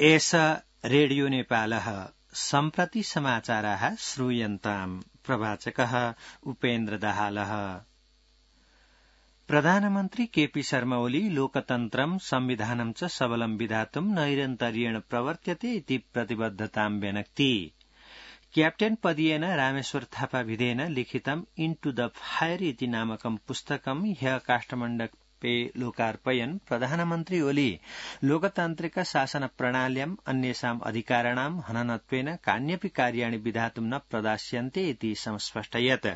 एष रेडियो नेपालः सम्प्रति समाचाराः श्रूयन्ताम् प्रवाचकः उपेन्द्र दाहालः। प्रधानमन्त्री केपी शर्मा ओली लोकतन्त्रं संविधानं च सबलं विधातुं नैरन्तर्येण प्रवर्त्यते इति प्रतिबद्धतां व्यनक्ति। क्याप्टेन पदीयेन रामेश्वर थापाभिधेन लिखितं इन्टु द फायर इति नामकं पुस्तकं ह्यः काष्ठमण्डपे लोकार्पयन् प्रधानमन्त्री ओली लोकतान्त्रिक शासन प्रणाल्याम् अन्येषाम् अधिकाराणां हननत्वेन कान्यपि कार्याणि विधातुं न प्रदास्यन्ते इति संस्पष्टयत्।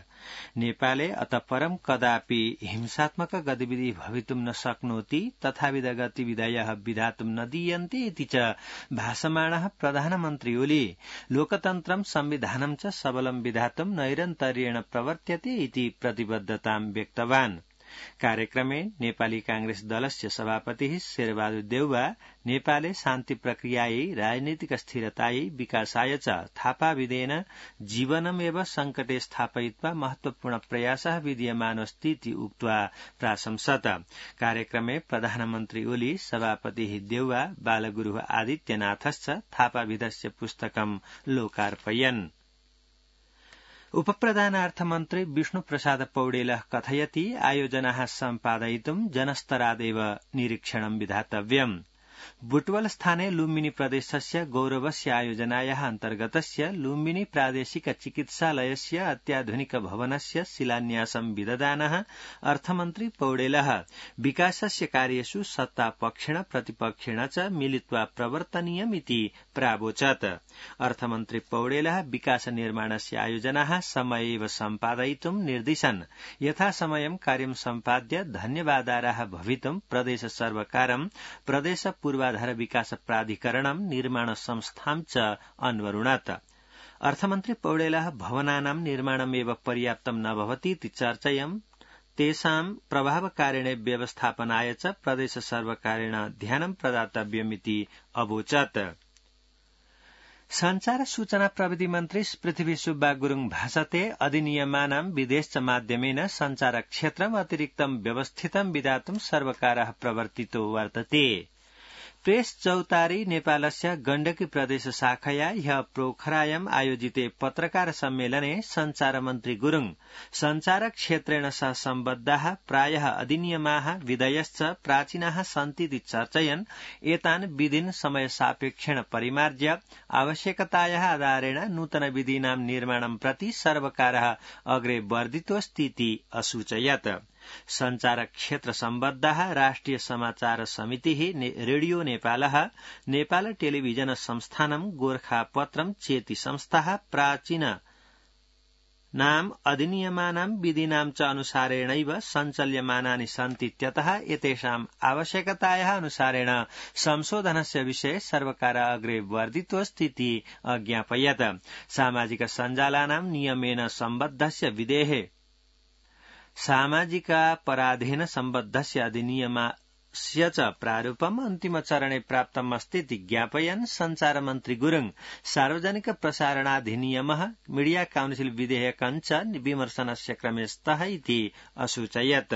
नेपाले अतः परं कदापि हिंसात्मक गतिविधि भवितुं न शक्नोति तथाविध गतिविधयः विधातुं न दीयन्ते इति च भाषमाणः प्रधानमन्त्री ओली लोकतन्त्रं संविधानं च सबलं विधातुं नैरन्तर्येण प्रवर्त्यते इति प्रतिबद्धतां व्यक्तवान्। कार्यक्रमे नेपाली कांग्रेस दलस्य सभापतिः शेरबहादुर देउवा नेपाले शान्ति प्रक्रियायै राजनीतिक स्थिरतायै विकासाय च थापाभिधेन जीवनमेव संकटे स्थापयित्वा महत्वपूर्ण प्रयासः विद्यमानोऽस्ति इति उक्त्वा प्राशंसत। कार्यक्रमे प्रधानमन्त्री ओली सभापतिः देउवा बालगुरुः आदित्यनाथश्च थापाभिधस्य पुस्तकं लोकार्पयन्। उपप्रधानार्थमन्त्री विष्णुप्रसाद पौडेलः कथयति आयोजनाः सम्पादयितुं जनस्तरादेव निरीक्षणं विधातव्यम्। बुटवल स्थाने लुम्बिनी प्रदेशस्य गौरवस्य आयोजनायाः अन्तर्गतस्य लुम्बिनी प्रादेशिक चिकित्सालयस्य अत्याधुनिक भवनस्य शिलान्यासं विदधानः अर्थमन्त्री पौडेलः विकासस्य कार्येषु सत्तापक्षेण प्रतिपक्षेण च मिलित्वा प्रवर्तनीयमिति प्रावोचत्। अर्थमन्त्री पौडेलः विकास निर्माणस्य आयोजनाः समयेव सम्पादयितुं निर्दिशन्। यथासमयं कार्यं सम्पाद्य धन्यवादार्हः भवितुं प्रदेश सर्वकारं प्रदेश पूर्वाधार विकास प्राधिकरणं निर्माण संस्थां च अन्वरुणत्। अर्थमन्त्री पौडेलः भवनानां निर्माणमेव पर्याप्तं न भवतीति चर्चयन् तेषां प्रभावकारिणे व्यवस्थापनाय च प्रदेश सर्वकारेण ध्यानं प्रदातव्यमिति अवोचत्। संचार सूचना प्रविधि मन्त्री पृथ्वी सुब्बा गुरुङ भाषते अधिनियमानां विदेश माध्यमेन संचार क्षेत्रम् अतिरिक्तं व्यवस्थितं विधातुं सर्वकारः प्रवर्तितो वर्तते। प्रेस चौतारी नेपालस्य गण्डकी प्रदेश शाखया ह्यः पोखरायाम् आयोजिते पत्रकार सम्मेलने संचार मन्त्री गुरुङ संचार क्षेत्रेण सह सम्बद्धाः प्रायः अधिनियमाः विधयश्च प्राचीनाः सन्तीति चर्चयन् एतान् विधीन् समय सापेक्षेण परिमार्ज्य आवश्यकतायाः आधारेण नूतन विधीनां निर्माणं प्रति सर्वकारः अग्रे वर्धितोऽस्तीति असूचयत्। संचार क्षेत्र सम्बद्धाः राष्ट्रिय समाचार समितिः रेडियो नेपालः नेपाल टेलिभिजन संस्थानं गोर्खापत्रं चेति संस्थाः प्राचीन नाम अधिनियमानां विधीनां च अनुसारेणैव सञ्चाल्यमानानि सन्तीत्यतः एतेषाम् आवश्यकतायाः अनुसारेण संशोधनस्य विषये सर्वकारः अग्रे वर्धितोऽस्तीति अज्ञापयत्। सामाजिक सञ्जालानां नियमेन सम्बद्धस्य विधेः सामाजिकापराधेन सम्बद्धस्य अधिनियमस्य च प्रारूपम् अन्तिमचरणे प्राप्तमस्तीति ज्ञापयन् संचार मन्त्री गुरुङ सार्वजनिक प्रसारणाधिनियमः मीडिया काउन्सिल विधेयकं च विमर्शनस्य क्रमे स्तः इति असूचयत्।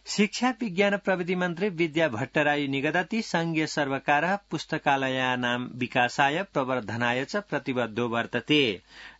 शिक्षा विज्ञान प्रविधि मन्त्री विद्या भट्टराई निगदति संघीय सर्वकारः पुस्तकालयानां विकासाय प्रवर्धनाय च प्रतिबद्धो वर्तते।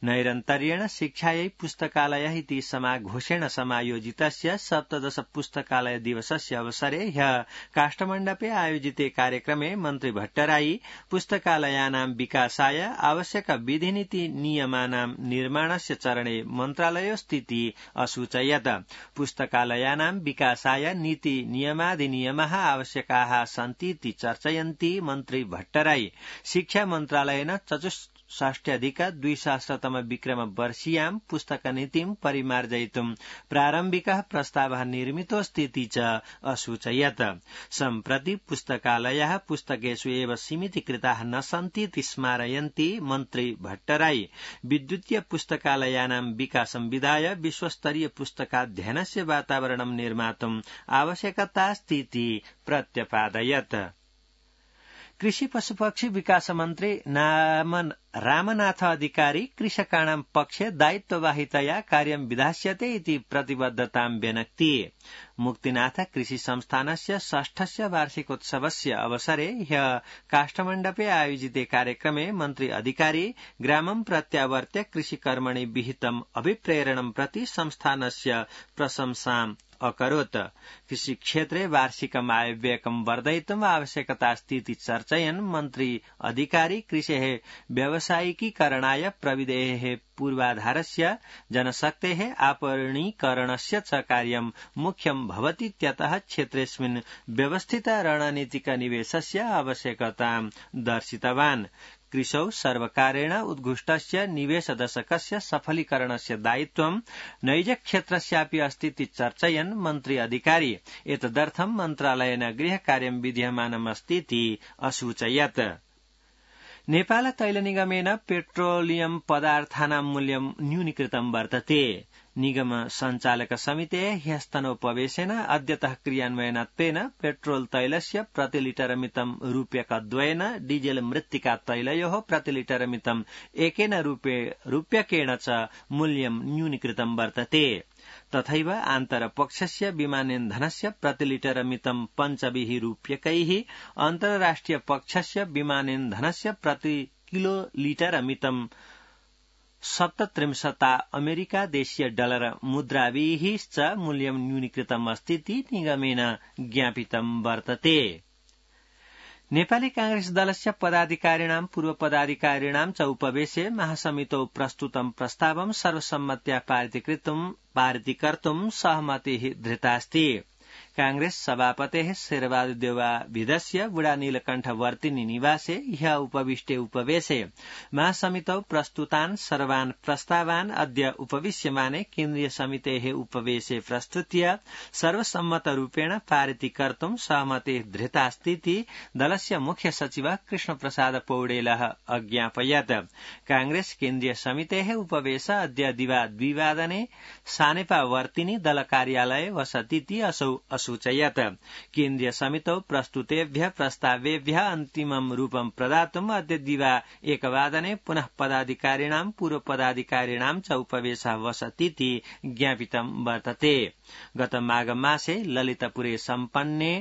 नैरन्तर्येण शिक्षायै पुस्तकालयः इति समाघोषेण समायोजितस्य 17 पुस्तकालय दिवसस्य अवसरे ह्यः काष्ठमण्डपे आयोजिते कार्यक्रमे मन्त्री भट्टराई पुस्तकालयानां विकासाय आवश्यक विधिनीति नियमानां निर्माणस्य चरणे मन्त्रालयोस्तीति असूचयत्। पुस्तकालयानां विकासाय नीति नियमाधिनियमः आवश्यकाः सन्तीति चर्चयन्ती मन्त्री भट्टराई शिक्षा मन्त्रालयेन 64,200 विक्रम वर्षीयां पुस्तकनीतिं परिमार्जयितुं प्रारम्भिकः प्रस्तावः निर्मितोऽस्तीति च असूचयत्। सम्प्रति पुस्तकालयाः पुस्तकेषु एव सीमितीकृताः न सन्तीति स्मारयन्ती मन्त्री भट्टराई विद्युतीय पुस्तकालयानां विकासं विधाय विश्वस्तरीय पुस्तकाध्ययनस्य वातावरणं निर्मातुम् आवश्यकतास्तीति प्रत्यपादयत्। कृषि पशुपक्षी विकास मन्त्री रामनाथ अधिकारी कृषकाणां पक्षे दायित्ववाहितया कार्यं विधास्यते इति प्रतिबद्धतां व्यनक्ति। मुक्तिनाथ कृषि संस्थानस्य 6स्य वार्षिकोत्सवस्य अवसरे ह्यः काष्ठमण्डपे आयोजिते कार्यक्रमे मन्त्री अधिकारी ग्रामं प्रत्यावर्त्य कृषिकर्मणि विहितम् अभिप्रेरणं प्रति संस्थानस्य प्रशंसाम् अकरोत्। कृषिक्षेत्रे वार्षिकम् आयव्ययकं वर्धयितुम् आवश्यकतास्तीति चर्चयन् मन्त्री अधिकारी कृषेः व्यावसायिकीकरणाय प्रविधेः पूर्वाधारस्य जनशक्तेः आपणीकरणस्य च कार्यं मुख्यं भवतीत्यतः क्षेत्रेऽस्मिन् व्यवस्थित रणनीतिक निवेशस्य आवश्यकतां दर्शितवान्। कृषौ सर्वकारेण उद्घुष्टस्य निवेशदशकस्य सफलीकरणस्य दायित्वं नैजक्षेत्रस्यापि अस्तीति चर्चयन् मन्त्री अधिकारी एतदर्थं मन्त्रालयेन गृहकार्यं विधीयमानमस्तीति असूचयत्। नेपाल तैल निगमेन पेट्रोलियम पदार्थानां मूल्यं न्यूनीकृतं वर्तते। निगम सञ्चालक समितेः ह्यस्तनोपवेशेन अद्यतः क्रियान्वयनत्वेन पेट्रोल तैलस्य प्रतिलिटरमितं रूप्यकद्वयेन डीजेल मृत्तिका तैलयोः प्रतिलिटरमितं 1 रूप्यकेण च मूल्यं न्यूनीकृतं वर्तते। तथैव आन्तरपक्षस्य विमानेन्धनस्य प्रतिलिटरमितं 5 रूप्यकैः अन्ताराष्ट्रिय पक्षस्य विमानेन्धनस्य प्रति किलोलिटरमितं 37 अमेरिका देशीय डलर मुद्राभिः च मूल्यं न्यूनीकृतम् अस्तीति निगमेन ज्ञापितं वर्तते। नेपाली कांग्रेस दलस्य पदाधिकारिणां पूर्वपदाधिकारिणां च उपवेशे महासमितौ प्रस्तुतं प्रस्तावं सर्वसम्मत्या पारितीकर्तुं सहमतिः धृतास्ति। कांग्रेस सभापतेः शेरबहादुरदेउवाभिधस्य बुढा नीलकण्ठवर्तिनी निवासे ह्यः उपविष्टे उपवेशे महासमितौ प्रस्तुतान् सर्वान् प्रस्तावान् अद्य उपविश्यमाने केन्द्रीय समितेः उपवेशे प्रस्तुत्य सर्वसम्मतरूपेण पारितीकर्तुं सहमतिः धृतास्तीति दलस्य मुख्य सचिवः कृष्णप्रसाद पौडेलः अज्ञापयत्। कांग्रेस केन्द्रीय समितेः उपवेश अद्य दिवा 2 वादने सानेपावर्तिनी दल कार्यालये वसतीति असौ असूचयत्। केन्द्रीय समितौ प्रस्तुतेभ्यः प्रस्तावेभ्यः अन्तिमं रूपं प्रदातुम् अद्य दिवा 1 वादने पुनः पदाधिकारिणां पूर्वपदाधिकारिणां च उपवेशः वसतीति ज्ञापितं वर्तते। गत माघ मासे ललितपुरे सम्पन्ने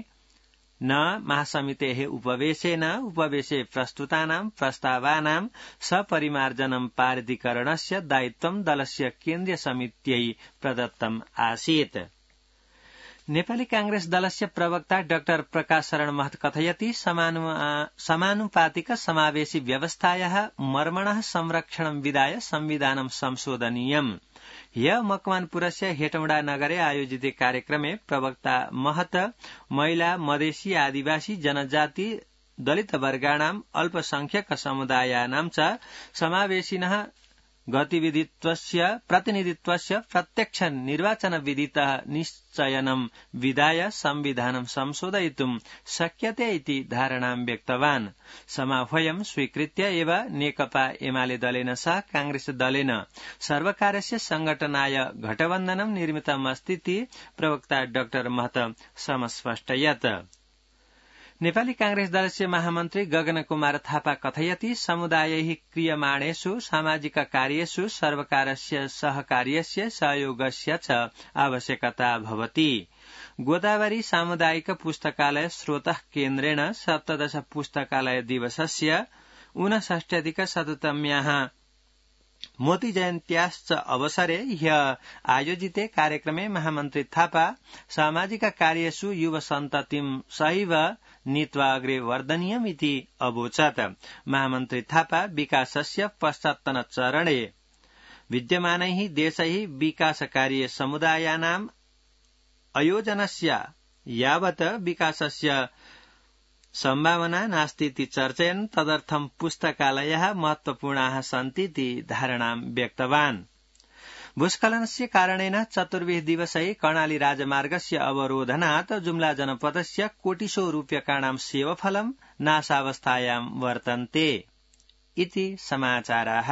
महासमितेः उपवेशे प्रस्तुतानां प्रस्तावानां सपरिमार्जनं पारितीकरणस्य दायित्वं दलस्य केन्द्रीय समित्यै प्रदत्तम् आसीत्। नेपाली कांग्रेस दलस्य प्रवक्ता डाक्टर प्रकाश शरण महत कथयति समानुपातिक समावेशी व्यवस्थायाः मर्मणः संरक्षणं विधाय संविधानं संशोधनीयम्। ह्यः मकवानपुरस्य हेटौडा नगरे आयोजिते कार्यक्रमे प्रवक्ता महत महिला मधेसी आदिवासी जनजाति दलित वर्गाणाम् अल्पसंख्यक समुदायानां च समावेशिनः गतिविधित्वस्य प्रतिनिधित्वस्य प्रत्यक्ष निर्वाचन विधितः निश्चयनं विधाय संविधानं संशोधयितुं शक्यते इति धारणां व्यक्तवान्। समाह्वयं स्वीकृत्य एव नेकपा एमाले दलेन सह कांग्रेस दलेन सर्वकारस्य संघटनाय गठबन्धनं निर्मितमस्तीति प्रवक्ता डाक्टर महत समस्पष्टयत्। नेपाली कांग्रेस दलस्य महामन्त्री गगन कुमार थापा कथयति समुदायैः क्रियमाणेषु सामाजिक कार्येषु सर्वकारस्य सहकार्यस्य सहयोगस्य च आवश्यकता भवति। गोदावरी सामुदायिक पुस्तकालय स्रोतः केन्द्रेण 17 पुस्तकालय दिवसस्य 59-शततम्याः मोती जयन्त्याश्च अवसरे ह्यः आयोजिते कार्यक्रमे महामन्त्री थापा सामाजिक कार्येषु युव सन्ततिं सहैव नीत्वा अग्रे वर्धनीयमिति अवोचत्। महामन्त्री थापा विकासस्य पश्चात्तनचरणे विद्यमानैः देशैः विकासकार्ये समुदायानाम् अयोजनस्य यावत् विकासस्य सम्भावना नास्तीति चर्चयन् तदर्थं पुस्तकालयाः महत्वपूर्णाः सन्तीति धारणां व्यक्तवान्। भूस्खलनस्य कारणेन 24 दिवसै कर्णाली राजमार्गस्य अवरोधनात् जुम्ला जनपदस्य कोटिशो रूप्यकाणां सेवफलं नाशावस्थायां वर्तन्ते इति समाचाराः।